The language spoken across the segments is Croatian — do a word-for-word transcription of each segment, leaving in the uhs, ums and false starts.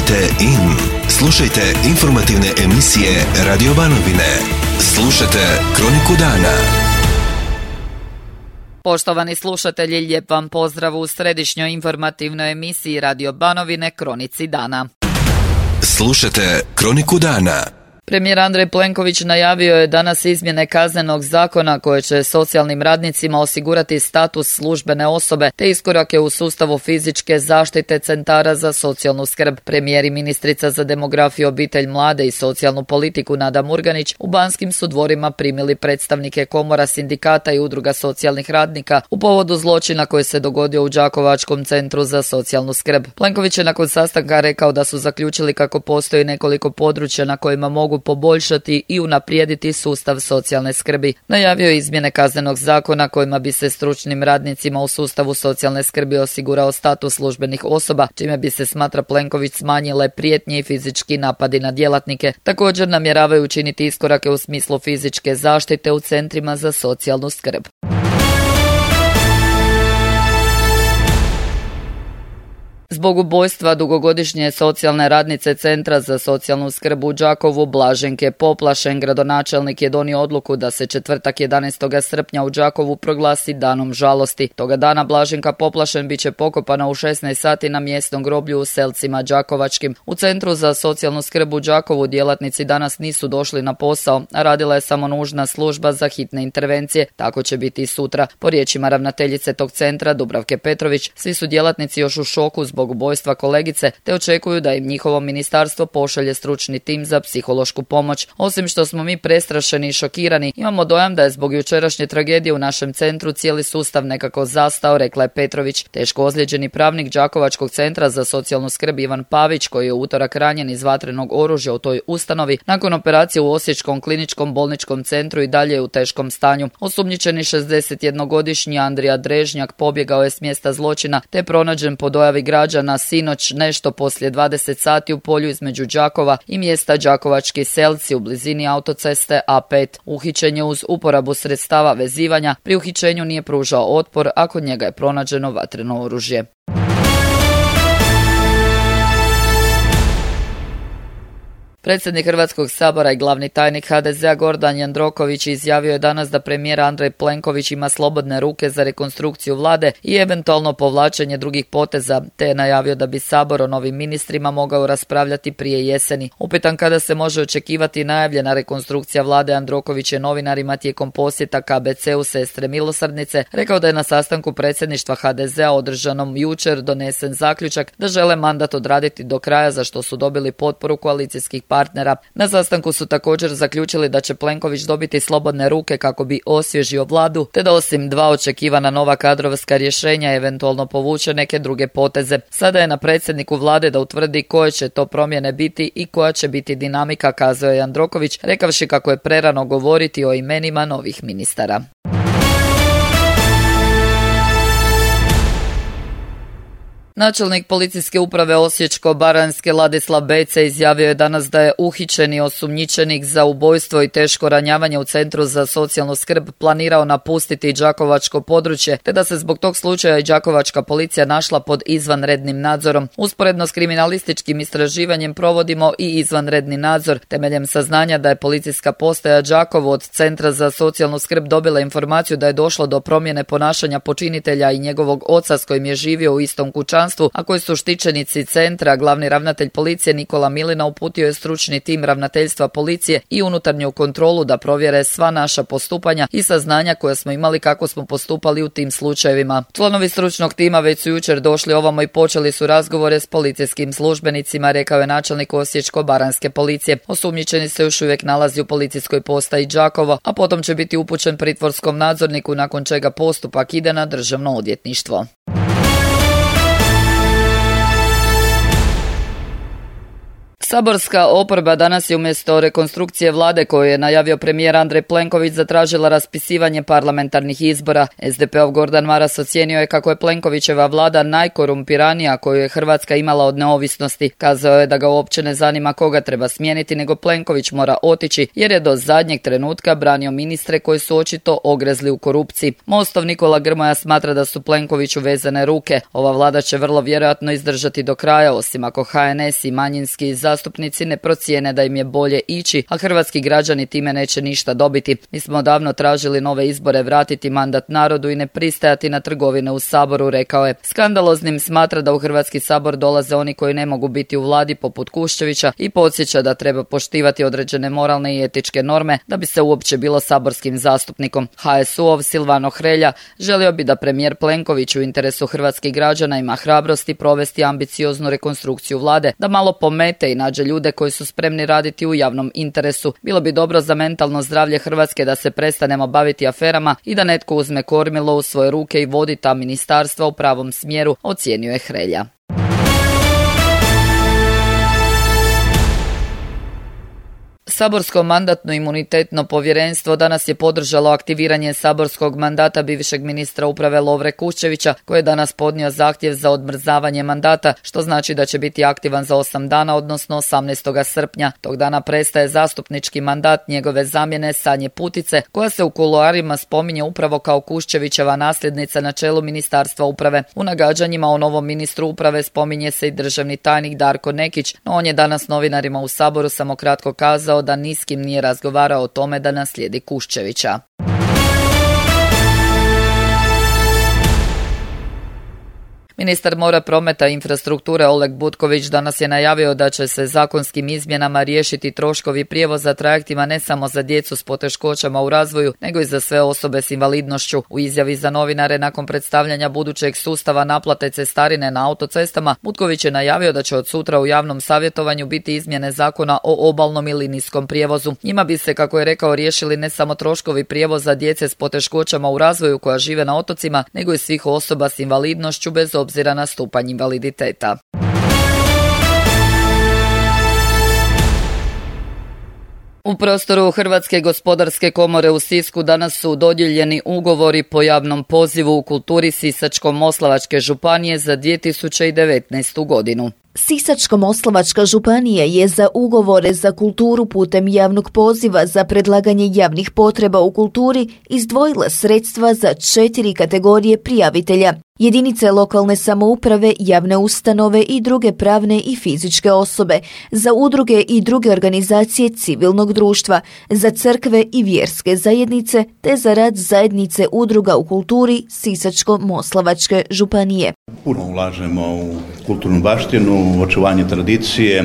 Kliknite in. Slušajte informativne emisije Radio Banovine. Slušajte Kroniku dana. Poštovani slušatelji, lijep vam pozdrav u središnjoj informativnoj emisiji Radio Banovine Kronici dana. Slušajte Kroniku dana. Premijer Andrej Plenković najavio je danas izmjene Kaznenog zakona koje će socijalnim radnicima osigurati status službene osobe te iskorake u sustavu fizičke zaštite centara za socijalnu skrb. Premijer i ministrica za demografiju, obitelj, mlade i socijalnu politiku Nada Murganić u Banskim su dvorima primili predstavnike komora, sindikata i udruga socijalnih radnika u povodu zločina koji se dogodio u Đakovačkom centru za socijalnu skrb. Plenković je nakon sastanka rekao da su zaključili kako postoji nekoliko područja na kojima mogu poboljšati i unaprijediti sustav socijalne skrbi. Najavio je izmjene Kaznenog zakona kojima bi se stručnim radnicima u sustavu socijalne skrbi osigurao status službenih osoba, čime bi se, smatra Plenković, smanjile prijetnje i fizički napadi na djelatnike. Također namjeravaju učiniti iskorake u smislu fizičke zaštite u centrima za socijalnu skrb. Zbog ubojstva dugogodišnje socijalne radnice Centra za socijalnu skrb u Đakovu, Blaženke Poplašen, gradonačelnik je donio odluku da se četvrtak jedanaestog srpnja u Đakovu proglasi danom žalosti. Toga dana Blaženka Poplašen bit će pokopana u šesnaest sati na mjesnom groblju u Selcima Đakovačkim. U Centru za socijalnu skrb u Đakovu djelatnici danas nisu došli na posao, a radila je samo nužna služba za hitne intervencije. Tako će biti i sutra. Po riječima ravnateljice tog centra, Dubravke Petrović, svi su djelatnici još u šoku zbog ubojstva kolegice, te očekuju da im njihovo ministarstvo pošalje stručni tim za psihološku pomoć. Osim što smo mi prestrašeni i šokirani, imamo dojam da je zbog jučerašnje tragedije u našem centru cijeli sustav nekako zastao, rekla je Petrović. Teško ozlijeđeni pravnik Đakovačkog centra za socijalnu skrb Ivan Pavić, koji je u utorak ranjen iz vatrenog oružja u toj ustanovi, nakon operacije u Osječkom kliničkom bolničkom centru i dalje je u teškom stanju. Osumnjičeni šezdesetjednogodišnji Andrija Drežnjak pobjegao je s mjesta zločina, te je pronađen po dojavi građana na sinoć nešto poslije dvadeset sati u polju između Đakova i mjesta Đakovački Selci u blizini autoceste A pet. Uhićen je uz uporabu sredstava vezivanja. Pri uhićenju nije pružao otpor, a kod njega je pronađeno vatreno oružje. Predsjednik Hrvatskog sabora i glavni tajnik ha de zea Gordan Jandroković izjavio je danas da premijer Andrej Plenković ima slobodne ruke za rekonstrukciju vlade i eventualno povlačenje drugih poteza, te je najavio da bi sabor o novim ministrima mogao raspravljati prije jeseni. Upitan kada se može očekivati najavljena rekonstrukcija vlade, Jandroković je novinarima tijekom posjeta ka be ce u Sestre Milosrdnice rekao da je na sastanku predsjedništva ha de zea održanom jučer donesen zaključak da žele mandat odraditi do kraja, za što su dobili potporu koalicijskih partnera. Na sastanku su također zaključili da će Plenković dobiti slobodne ruke kako bi osvježio vladu, te da osim dva očekivana nova kadrovska rješenja eventualno povuče neke druge poteze. Sada je na predsjedniku vlade da utvrdi koje će to promjene biti i koja će biti dinamika, kazao je Jandroković, rekavši kako je prerano govoriti o imenima novih ministara. Načelnik policijske uprave Osječko-baranjske Ladislav Bece izjavio je danas da je uhićeni osumnjičenik za ubojstvo i teško ranjavanje u Centru za socijalnu skrb planirao napustiti đakovačko područje, te da se zbog tog slučaja i đakovačka policija našla pod izvanrednim nadzorom. Usporedno s kriminalističkim istraživanjem provodimo i izvanredni nadzor. Temeljem saznanja da je policijska postaja Đakovo od Centra za socijalnu skrb dobila informaciju da je došlo do promjene ponašanja počinitelja i njegovog oca s kojim je živio u istom kućanstvu, a koji su štićenici centra, glavni ravnatelj policije Nikola Milina uputio je stručni tim ravnateljstva policije i unutarnju kontrolu da provjere sva naša postupanja i saznanja koja smo imali kako smo postupali u tim slučajevima. Članovi stručnog tima već su jučer došli ovamo i počeli su razgovore s policijskim službenicima, rekao je načelnik Osječko-baranjske policije. Osumnjičeni se još uvijek nalazi u policijskoj postaji Đakovo, a potom će biti upućen pritvorskom nadzorniku, nakon čega postupak ide na državno odvjetništvo. Saborska oporba danas je umjesto rekonstrukcije vlade koju je najavio premijer Andrej Plenković zatražila raspisivanje parlamentarnih izbora. es de pe-ov Gordan Maras ocijenio je kako je Plenkovićeva vlada najkorumpiranija koju je Hrvatska imala od neovisnosti. Kazao je da ga uopće ne zanima koga treba smijeniti, nego Plenković mora otići jer je do zadnjeg trenutka branio ministre koji su očito ogrezli u korupciji. Mostov Nikola Grmoja smatra da su Plenkoviću vezane ruke. Ova vlada će vrlo vjerojatno izdržati do kraja, osim ako ha en es i manjinski zastupnici ne procijene da im je bolje ići, a hrvatski građani time neće ništa dobiti. Mi smo davno tražili nove izbore, vratiti mandat narodu i ne pristajati na trgovine u Saboru, rekao je. Skandaloznim smatra da u Hrvatski sabor dolaze oni koji ne mogu biti u vladi poput Kuščevića i podsjeća da treba poštivati određene moralne i etičke norme da bi se uopće bilo saborskim zastupnikom. ha es u-ov Silvano Hrelja želio bi da premijer Plenković u interesu hrvatskih građana ima hrabrosti provesti ambicioznu rekonstrukciju vlade, da malo pomete i nađe ljude koji su spremni raditi u javnom interesu. Bilo bi dobro za mentalno zdravlje Hrvatske da se prestanemo baviti aferama i da netko uzme kormilo u svoje ruke i vodi ta ministarstva u pravom smjeru, ocijenio je Hrelja. Saborsko mandatno-imunitetno povjerenstvo danas je podržalo aktiviranje saborskog mandata bivšeg ministra uprave Lovre Kuščevića, koji je danas podnio zahtjev za odmrzavanje mandata, što znači da će biti aktivan za osam dana, odnosno osamnaestog srpnja. Tog dana prestaje zastupnički mandat njegove zamjene Sanje Putice, koja se u kuloarima spominje upravo kao Kuščevićeva nasljednica na čelu Ministarstva uprave. U nagađanjima o novom ministru uprave spominje se i državni tajnik Darko Nekić, no on je danas novinarima u Saboru samo kratko kazao da ni s kim nije razgovarao o tome da naslijedi Kuščevića. Ministar mora, prometa i infrastrukture Oleg Butković danas je najavio da će se zakonskim izmjenama riješiti troškovi prijevoza trajektima ne samo za djecu s poteškoćama u razvoju, nego i za sve osobe s invalidnošću. U izjavi za novinare nakon predstavljanja budućeg sustava naplate cestarine na autocestama, Butković je najavio da će od sutra u javnom savjetovanju biti izmjene zakona o obalnom i linijskom prijevozu. Njima bi se, kako je rekao, riješili ne samo troškovi prijevoza djece s poteškoćama u razvoju koja žive na otocima, nego i svih osoba s invalidnošću bez obzira na stupanj invaliditeta. U prostoru Hrvatske gospodarske komore u Sisku danas su dodijeljeni ugovori po javnom pozivu u kulturi Sisačko-moslavačke županije za dvije tisuće devetnaestu godinu. Sisačko-moslavačka županija je za ugovore za kulturu putem javnog poziva za predlaganje javnih potreba u kulturi izdvojila sredstva za četiri kategorije prijavitelja. Jedinice lokalne samouprave, javne ustanove i druge pravne i fizičke osobe, za udruge i druge organizacije civilnog društva, za crkve i vjerske zajednice, te za rad zajednice udruga u kulturi Sisačko-moslavačke županije. Puno ulažemo u kulturnu baštinu, očuvanje tradicije,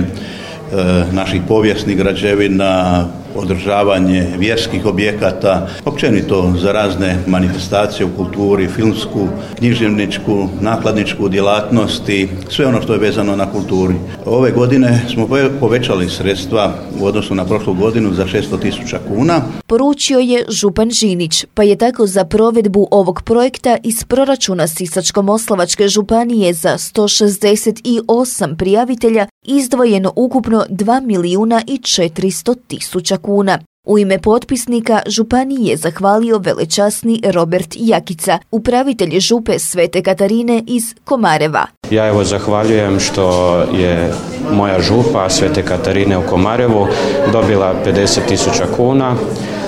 naših povijesnih građevina, održavanje vjerskih objekata, općenito za razne manifestacije u kulturi, filmsku, književničku, nakladničku djelatnost i sve ono što je vezano na kulturi. Ove godine smo povećali sredstva u odnosu na prošlu godinu za šesto tisuća kuna. Poručio je župan Žinić, pa je tako za provedbu ovog projekta iz proračuna Sisačko-moslavačke županije za sto šezdeset osam prijavitelja izdvojeno ukupno dva milijuna i četiristo tisuća kuna. U ime potpisnika županiji je zahvalio velečasni Robert Jakica, upravitelj župe Svete Katarine iz Komareva. Ja evo zahvaljujem što je moja župa Svete Katarine u Komarevu dobila pedeset tisuća kuna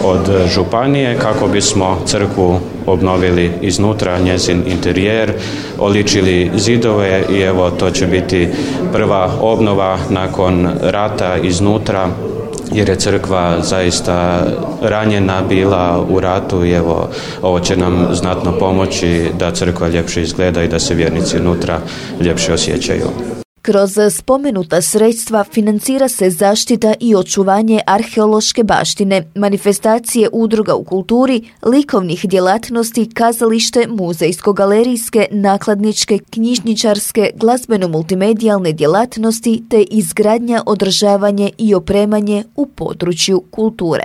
od županije kako bismo crkvu obnovili iznutra, njezin interijer, oličili zidove i evo to će biti prva obnova nakon rata iznutra, jer je crkva zaista ranjena bila u ratu i evo ovo će nam znatno pomoći da crkva ljepše izgleda i da se vjernici unutra ljepše osjećaju. Kroz spomenuta sredstva financira se zaštita i očuvanje arheološke baštine, manifestacije udruga u kulturi, likovnih djelatnosti, kazalište, muzejsko-galerijske, nakladničke, knjižničarske, glazbeno-multimedijalne djelatnosti te izgradnja, održavanje i opremanje u području kulture.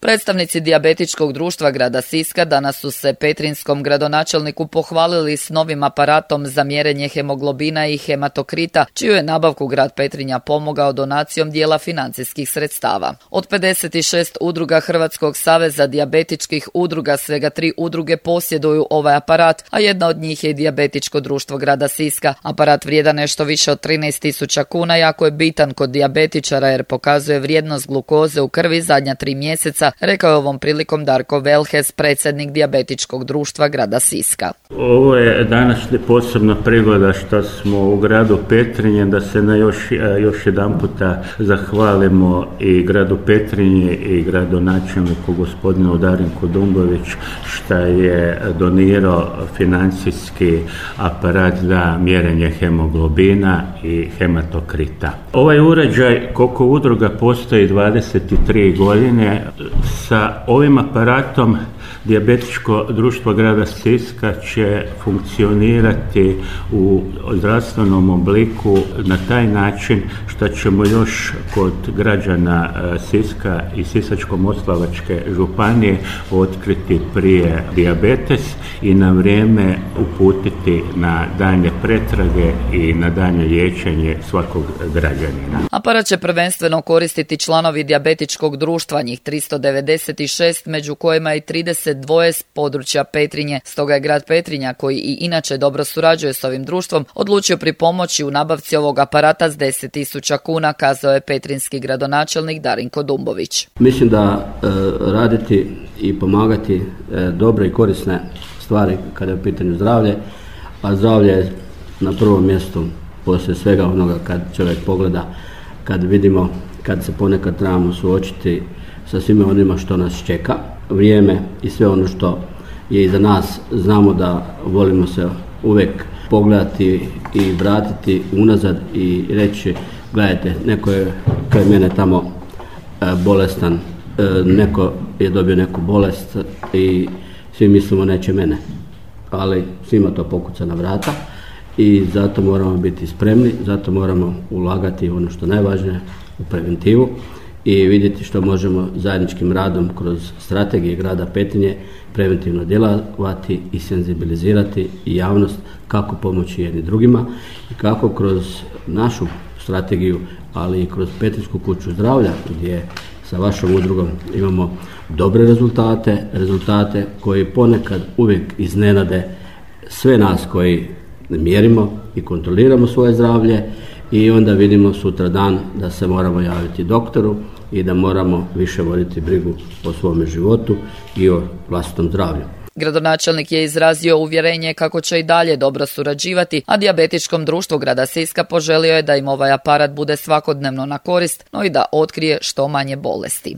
Predstavnici dijabetičkog društva grada Siska danas su se petrinjskom gradonačelniku pohvalili s novim aparatom za mjerenje hemoglobina i hematokrita, čiju je nabavku grad Petrinja pomogao donacijom dijela financijskih sredstava. Od pedeset šest udruga Hrvatskog saveza dijabetičkih udruga svega tri udruge posjeduju ovaj aparat, a jedna od njih je i dijabetičko društvo grada Siska. Aparat vrijedan nešto više od trinaest tisuća kuna, jako je bitan kod dijabetičara jer pokazuje vrijednost glukoze u krvi zadnja tri mjeseca, rekao je ovom prilikom Darko Velhes, predsjednik dijabetičkog društva grada Siska. Ovo je danas posebna prigoda što smo u gradu Petrinje da se na još, još jedan puta zahvalimo i gradu Petrinje i gradonačelniku gospodinu Darinku Dumbović što je donirao financijski aparat za mjerenje hemoglobina i hematokrita. Ovaj uređaj, koliko udruga postoji dvadeset tri godine, sa ovim aparatom dijabetičko društvo grada Siska će funkcionirati u zdravstvenom obliku na taj način što ćemo još kod građana Siska i Sisačko-moslavačke županije otkriti prije dijabetes i na vrijeme uputiti na daljnje pretrage i na daljnje liječenje svakog građanina. Aparat će prvenstveno koristiti članovi dijabetičkog društva, njih tristo devedeset šest, među kojima i trideset dva s područja Petrinje. Stoga je grad Petrinja, koji i inače dobro surađuje s ovim društvom, odlučio pripomoći u nabavci ovog aparata s deset tisuća kuna, kazao je petrinjski gradonačelnik Darinko Dumbović. Mislim da e, raditi i pomagati e, dobre i korisne stvari kada je u pitanju zdravlje, a zdravlje je na prvom mjestu poslije svega onoga kad čovjek pogleda, kad vidimo, kad se ponekad trebamo suočiti sa svime onima što nas čeka, vrijeme i sve ono što je iza nas. Znamo da volimo se uvijek pogledati i vratiti unazad i reći, gledajte, neko je kraj mene tamo e, bolestan, e, neko je dobio neku bolest i svi mislimo neće mene, ali svima to pokuca na vrata i zato moramo biti spremni, zato moramo ulagati ono što je najvažnije, u preventivu i vidjeti što možemo zajedničkim radom kroz strategije grada Petrinje preventivno djelovati i senzibilizirati javnost kako pomoći jedni drugima i kako kroz našu strategiju, ali i kroz Petrinjsku kuću zdravlja gdje sa vašom udrugom imamo dobre rezultate, rezultate koji ponekad uvijek iznenade sve nas koji mjerimo i kontroliramo svoje zdravlje i onda vidimo sutra dan da se moramo javiti doktoru i da moramo više voditi brigu o svome životu i o vlastitom zdravlju. Gradonačelnik je izrazio uvjerenje kako će i dalje dobro surađivati, a dijabetičkom društvu grada Siska poželio je da im ovaj aparat bude svakodnevno na korist, no i da otkrije što manje bolesti.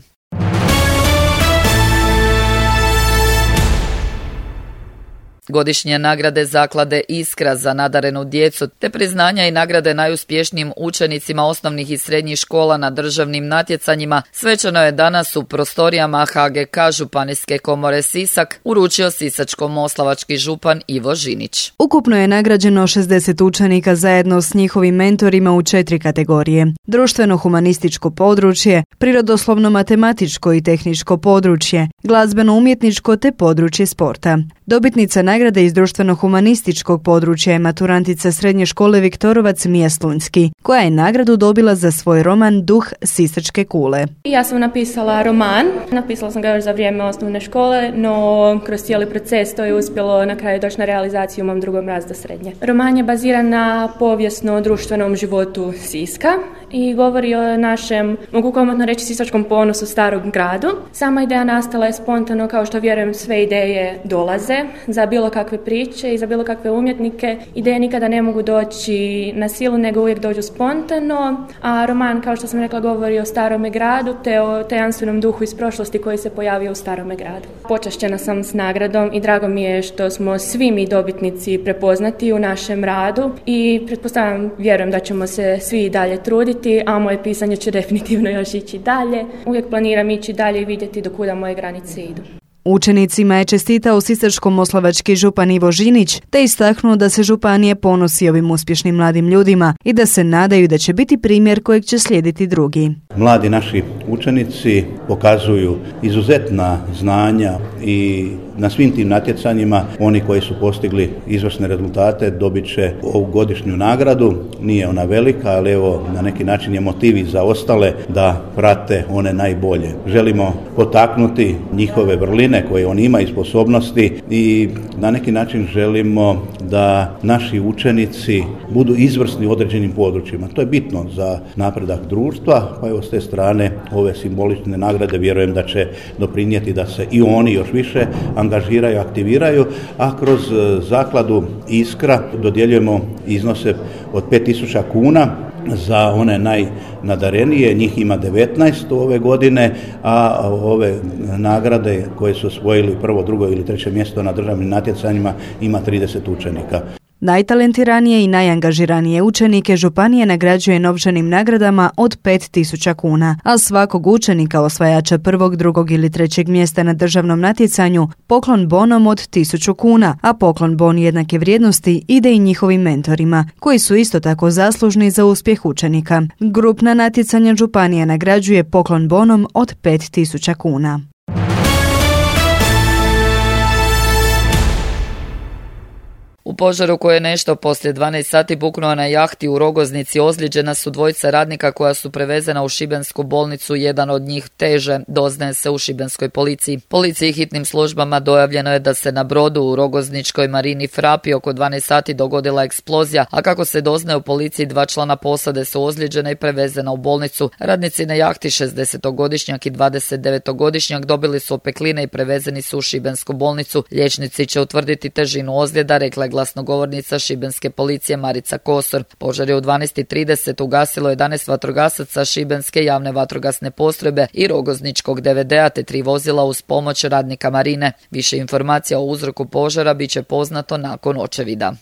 Godišnje nagrade zaklade Iskra za nadarenu djecu te priznanja i nagrade najuspješnijim učenicima osnovnih i srednjih škola na državnim natjecanjima svečano je danas u prostorijama H G K Županijske komore Sisak uručio sisačko-moslavački župan Ivo Žinić. Ukupno je nagrađeno šezdeset učenika zajedno s njihovim mentorima u četiri kategorije: društveno-humanističko područje, prirodoslovno-matematičko i tehničko područje, glazbeno-umjetničko te područje sporta. Dobitnica nagrade iz društveno-humanističkog područja je maturantica srednje škole Viktorovac Mija Slunjski, koja je nagradu dobila za svoj roman Duh sisačke kule. Ja sam napisala roman, napisala sam ga još za vrijeme osnovne škole, no kroz cijeli proces to je uspjelo na kraju doći na realizaciju u mom drugom razredu srednje. Roman je baziran na povijesno-društvenom životu Siska i govori o našem, mogu komotno reći, sisačkom ponosu starom gradu. Sama ideja nastala je spontano, kao što vjerujem sve ideje dolaze. Za bilo kakve priče i za bilo kakve umjetnike ideje nikada ne mogu doći na silu, nego uvijek dođu spontano, a roman, kao što sam rekla, govori o starome gradu te o tajanstvenom duhu iz prošlosti koji se pojavio u starome gradu. Počašćena sam s nagradom i drago mi je što smo svi mi dobitnici prepoznati u našem radu i pretpostavljam, vjerujem da ćemo se svi dalje truditi, a moje pisanje će definitivno još ići dalje. Uvijek planiram ići dalje i vidjeti do kuda moje granice idu. Učenicima je čestitao sisačko-moslavački župan Ivo Žinić te istaknuo da se županije ponosi ovim uspješnim mladim ljudima i da se nadaju da će biti primjer kojeg će slijediti drugi. Mladi naši učenici pokazuju izuzetna znanja i na svim tim natjecanjima oni koji su postigli izvrsne rezultate dobit će ovu godišnju nagradu. Nije ona velika, ali evo na neki način je motiv i za ostale da prate one najbolje. Želimo potaknuti njihove vrline koje oni imaju, sposobnosti i na neki način želimo da naši učenici budu izvrsni u određenim područjima. To je bitno za napredak društva, pa evo s te strane ove simbolične nagrade vjerujem da će doprinijeti da se i oni još više angažiraju, aktiviraju, a kroz zakladu Iskra dodjeljujemo iznose od pet tisuća kuna za one najnadarenije, njih ima devetnaest ove godine, a ove nagrade koje su osvojili prvo, drugo ili treće mjesto na državnim natjecanjima ima trideset učenika. Najtalentiranije i najangažiranije učenike županije nagrađuje novčanim nagradama od pet tisuća kuna, a svakog učenika osvajača prvog, drugog ili trećeg mjesta na državnom natjecanju poklon bonom od tisuću kuna, a poklon bon jednake vrijednosti ide i njihovim mentorima, koji su isto tako zaslužni za uspjeh učenika. Grupna natjecanja županija nagrađuje poklon bonom od pet tisuća kuna. U požaru koji je nešto poslije dvanaest sati buknuo na jahti u Rogoznici ozlijeđena su dvojica radnika koja su prevezena u šibensku bolnicu, jedan od njih teže, doznaje se u šibenskoj policiji. Policiji i hitnim službama dojavljeno je da se na brodu u Rogozničkoj marini Frapi oko dvanaest sati dogodila eksplozija, a kako se doznaje u policiji dva člana posade su ozlijeđena i prevezena u bolnicu. Radnici na jahti šezdesetogodišnjak i dvadesetdevetogodišnjak dobili su opekline i prevezeni su u šibensku bolnicu. Liječnici će utvrditi težinu ozljeda, rekla je glasnogovornica šibenske policije Marica Kosor. Požar je u dvanaest i trideset ugasilo jedanaest vatrogasaca šibenske javne vatrogasne postrojbe i Rogozničkog D V D-a te tri vozila uz pomoć radnika marine. Više informacija o uzroku požara bit će poznato nakon očevida.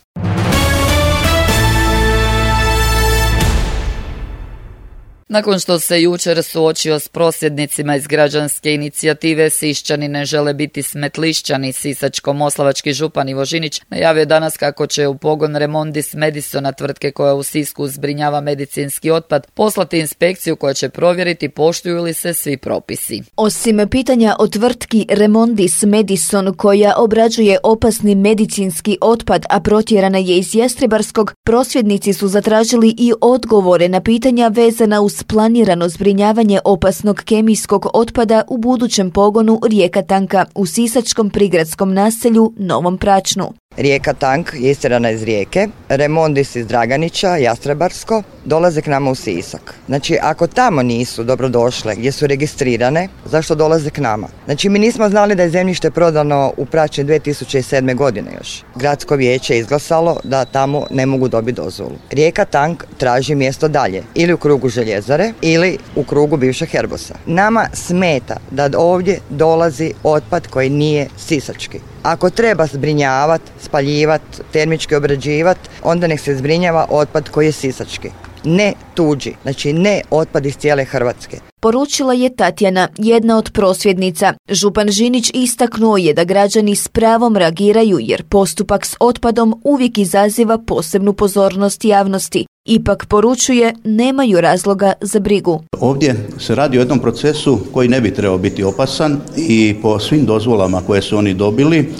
Nakon što se jučer suočio s prosvjednicima iz građanske inicijative Sišćani ne žele biti smetlišćani, sisačko-moslavački župan Ivo Žinić najavio danas kako će u pogon Remondis Medisona, tvrtke koja u Sisku zbrinjava medicinski otpad, poslati inspekciju koja će provjeriti poštuju li se svi propisi. Osim pitanja o tvrtki Remondis Medison koja obrađuje opasni medicinski otpad, a protjerana je iz Jastrebarskog, prosvjednici su zatražili i odgovore na pitanja vezana uz planirano zbrinjavanje opasnog kemijskog otpada u budućem pogonu Rijeka Tanka u sisačkom prigradskom naselju Novom Pračnu. Rijeka Tank je istjerana iz Rijeke, Remondis iz Draganića, Jastrebarsko, dolaze k nama u Sisak. Znači, ako tamo nisu dobrodošle, gdje su registrirane, zašto dolaze k nama? Znači, mi nismo znali da je zemljište prodano u Pračni dvije tisuće sedme. godine još. Gradsko vijeće je izglasalo da tamo ne mogu dobiti dozvolu. Rijeka Tank traži mjesto dalje, ili u krugu željezare, ili u krugu bivšeg Herbosa. Nama smeta da ovdje dolazi otpad koji nije sisački. Ako treba zbrinjavati, spaljivati, termički obrađivati, onda nek se zbrinjava otpad koji je sisački. Ne tuđi, znači ne otpad iz cijele Hrvatske. Poručila je Tatjana, jedna od prosvjednica. Župan Žinić istaknuo je da građani s pravom reagiraju jer postupak s otpadom uvijek izaziva posebnu pozornost javnosti. Ipak poručuje, nemaju razloga za brigu. Ovdje se radi o jednom procesu koji ne bi trebao biti opasan i po svim dozvolama koje su oni dobili,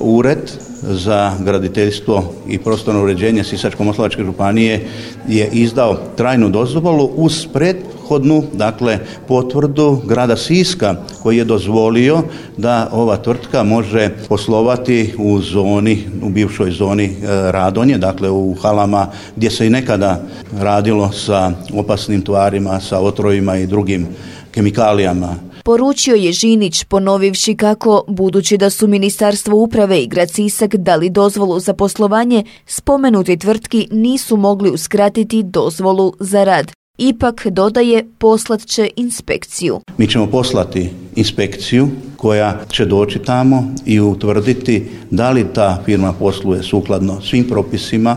Ured za graditeljstvo i prostorno uređenje Sisačko-moslavačke županije je izdao trajnu dozvolu uz prethodnu, dakle, potvrdu grada Siska koji je dozvolio da ova tvrtka može poslovati u zoni, u bivšoj zoni Radonje, dakle u halama gdje se i nekada radilo sa opasnim tvarima, sa otrovima i drugim kemikalijama. Poručio je Žinić, ponovivši kako, budući da su Ministarstvo uprave i grad Sisak dali dozvolu za poslovanje, spomenuti tvrtki nisu mogli uskratiti dozvolu za rad. Ipak, dodaje, poslat će inspekciju. Mi ćemo poslati inspekciju koja će doći tamo i utvrditi da li ta firma posluje sukladno svim propisima.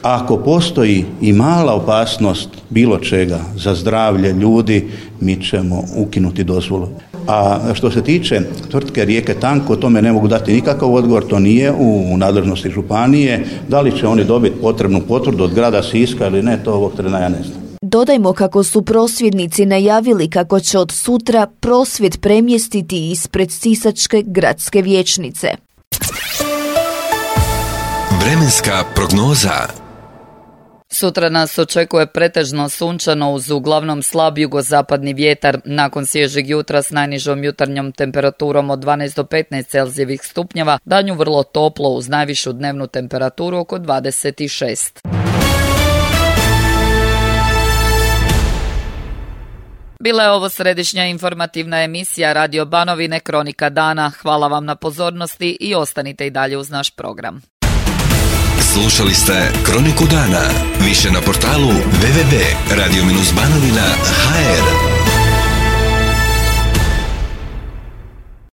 Ako postoji i mala opasnost bilo čega za zdravlje ljudi, mi ćemo ukinuti dozvolu. A što se tiče tvrtke Rijeke Tank, o tome ne mogu dati nikakav odgovor, to nije u nadležnosti županije. Da li će oni dobiti potrebnu potvrdu od grada Siska ili ne, to ovog trena ja ne znam. Dodajmo kako su prosvjednici najavili kako će od sutra prosvjed premjestiti ispred Sisačke gradske vijećnice. Vremenska prognoza. Sutra nas očekuje pretežno sunčano uz uglavnom slab jugozapadni vjetar nakon svježeg jutra s najnižom jutarnjom temperaturom od dvanaest do petnaest Celzijevih stupnjeva, danju vrlo toplo uz najvišu dnevnu temperaturu oko dvadeset šest. Bila je ovo središnja informativna emisija Radio Banovine Kronika dana. Hvala vam na pozornosti i ostanite i dalje uz naš program. Slušali ste Kroniku dana. Više na portalu w w w tačka radio banovina tačka h r.